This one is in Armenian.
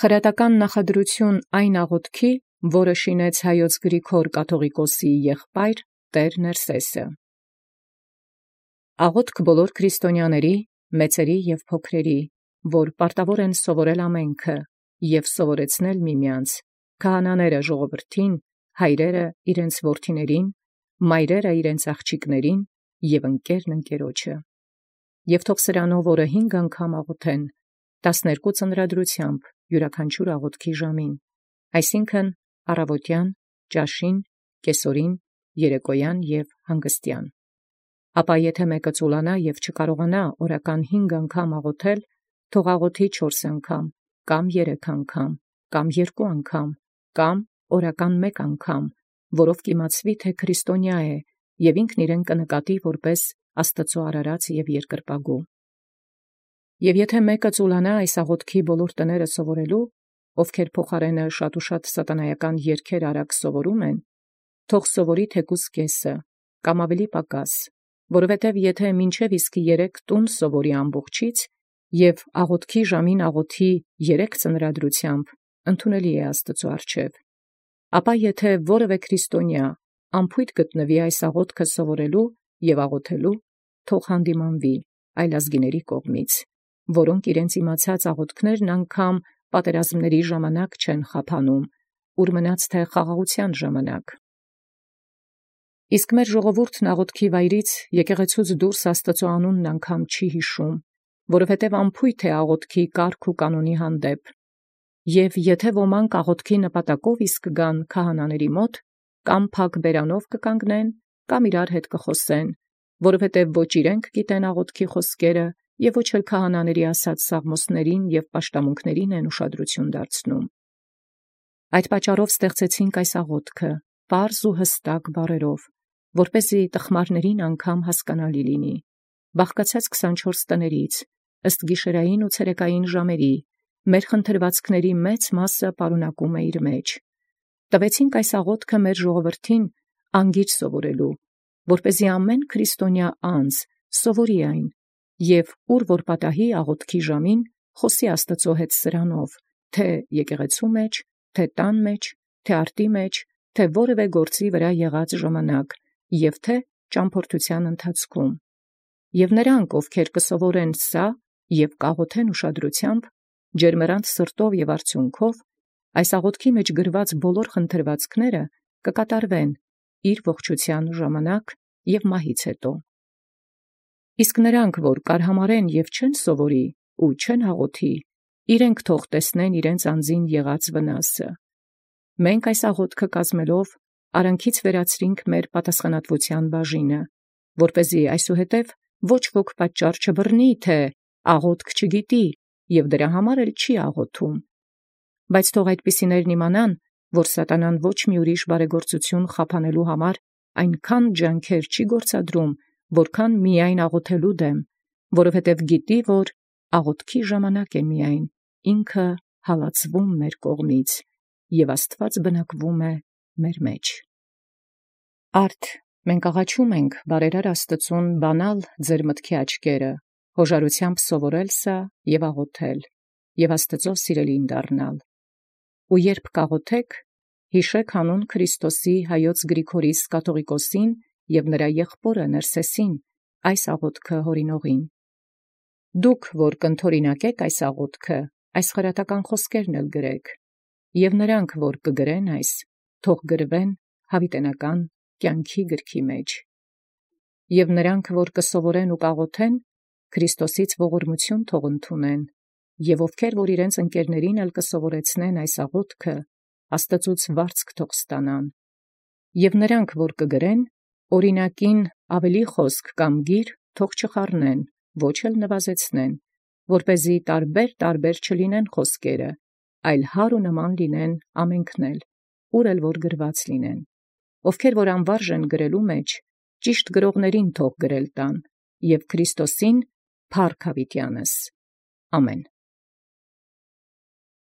Խրատական նախադրութիւն այն աղաւթքի, որը շինեց Հայոց Գրիգոր կաթողիկոսի եղբայր Տէր Ներսէսը։ Աղաւթք բոլոր քրիստոնյաների, մեծերի և փոքրերի, որ պարտավոր են սովորել ամենքը և սովորեցնել միմեանց, քահանաները ժողովրդին, հայրերը իրենց որդիներին, մայրերը իրենց աղջիկներին և ընկերն ընկերոջը։ Եւ թող սրանով օրը 5 անգամ աղոթեն, 12 ծնրադրութեամբ յուրաքանչյուր աղոթքի ժամին, այսինքն առավոտյան, ճաշին, կեսօրին, երեկոյան և հանգստյան։ Ապա եթե մեկը ծուլանա և չկարողանա օրական 5 անգամ աղոթել, թող աղոթի 4 անգամ, կամ 3 անգամ, կամ 2 անգամ, կամ օրական 1 անգամ, որով կիմացվի, թե քրիստոնյա է, և ինքն իրեն կնկատի որպես Աստուծոյ արարած և երկրպագու։ Եւ եթե մեկը ծուլանա այս աղոթքի բոլոր տները սովորելու, ովքեր փոխարենը շատ սատանայական երգեր արագ սովորում են, թող սովորի թեկուզ կեսը, կամ ավելի պակաս, որովհետև եթե մինչև իսկ 3 տուն սովորի ամբողջից, և աղոթքի ժամին աղոթի 3 ծնրադրութեամբ, ընդունելի է Աստուծոյ առջև։ Ապա եթե որևէ քրիստոնյա անփոյթ գտնվի այս աղոթքը սովորելու և աղոթելու, թող հանդիմանվի այլազգիների կողմից, որոնք իրենց իմացած աղոթքներն անգամ պատերազմների ժամանակ չեն խափանում, ուր մնաց թե խաղաղության ժամանակ։ Իսկ մեր ժողովուրդն աղոթքի վայրից եկեղեցուց դուրս Աստուծոյ անունն անգամ չի յիշում, որովհետև անփոյթ է աղոթքի կարգ ու կանոնի հանդեպ։ Եվ եթե ոմանք աղոթքի նպատակով իսկ գան քահանաների մոտ, կամ փակ բերանով կկանգնեն, կամ իրար հետ կխոսեն, որովհետև ոչ իրենք գիտեն աղոթքի խոսքերը, և ոչ էլ քահանաների ասած սաղմոսներին և պաշտամունքներին են ուշադրություն դարձնում։ Այդ պատճառով ստեղծեցինք այս աղոթքը, պարզ ու հստակ բառերով, որպեսզի տխմարներին անգամ հասկանալի լինի, բաղկացած 24 տներից, ըստ գիշերային ու ցերեկային ժամերի, մեր խնդրվածքների մեծ մասը պարունակում է իր մեջ։ Տվեցինք այս աղոթքը մեր ժողովրդին անգիր սովորելու, որպեսզի ամեն քրիստոնյա անձ սովորի այն, և ուր որ պատահի աղոթքի ժամին, խոսի Աստուծոյ հետ սրանով, թե եկեղեցու մեջ, թե տան մեջ, թե արտի մեջ, թե որևէ գործի վրա եղած ժամանակ, և թե ճամփորդության ընթացքում։ Եվ նրանք, ովքեր կսովորեն սա և կաղոթեն ուշադրությամբ, ջերմեռանդ սրտով և արդյունքով, այս աղոթքի մեջ գրված բոլոր խնդրվածքները կկատարվեն իր ողջութեան ժամանակ և մահից հետո։ Իսկ նրանք, որ կարհամարեն և չեն սովորի ու չեն աղոթի, իրենք թող տեսնեն իրենց անձին եղած վնասը։ Մենք այս աղոթքը կազմելով արանքից վերացրինք մեր պատասխանատվության բաժինը, որպեսզի այսուհետև ոչ ոք պատճառ չբռնի, թե աղոթք չգիտի և դրա համար էլ չի աղոթում։ Բայց թող այդպիսիներն իմանան, որ սատանան ոչ մի ուրիշ բարեգործություն խափանելու համար այնքան ջանքեր չի գործադրում, որքան միայն աղոթելու դեմ, որովհետև գիտի, որ աղոթքի ժամանակ է միայն ինքը հալածվում մեր կողմից, և Աստուած բնակվում է մեր մեջ։ Արդ մենք աղաչում ենք բարերար Աստուծուն բանալ ձեր մտքի աչքերը, հոժարութեամբ սովորել սա և աղոթել, և Աստուծոյ սիրելին դառնալ։ Ու երբ կաղոթեք, յիշեք հանուն Քրիստոսի Հայոց Գրիգորիս կաթողիկոսին և նրա եղբորը Ներսէսին այս աղոթքը հորինողին։ Դուք, որ կընդօրինակեք այս աղոթքը, այս խրատական խոսքերն էլ գրեք, և նրանք, որ կգրեն այս, թող գրվեն յաւիտենական կյանքի գրքի մեջ։ Եւ նրանք, որ կսովորեն ու կաղոթեն, Քրիստոսից ողորմություն թող ընդունեն, եւ ովքեր որ իրենց ընկերներին էլ կսովորեցնեն այս աղոթքը, Աստուծոյ վարձք թող ստանան։ Եւ նրանք, որ կգրեն, օրինակին ավելի խոսք կամ գիր թող չխառնեն, ոչ էլ նվազեցնեն, որպեսզի տարբեր չլինեն խոսքերը, այլ հար ու նման լինեն ամենքն էլ, ուր էլ որ գրված լինեն։ Ովքեր որ անվարժ են գրելու մեջ, ճիշտ գրողներին թող գրել տան, և Քրիստոսին փառք յաւիտեանս։ Ամեն։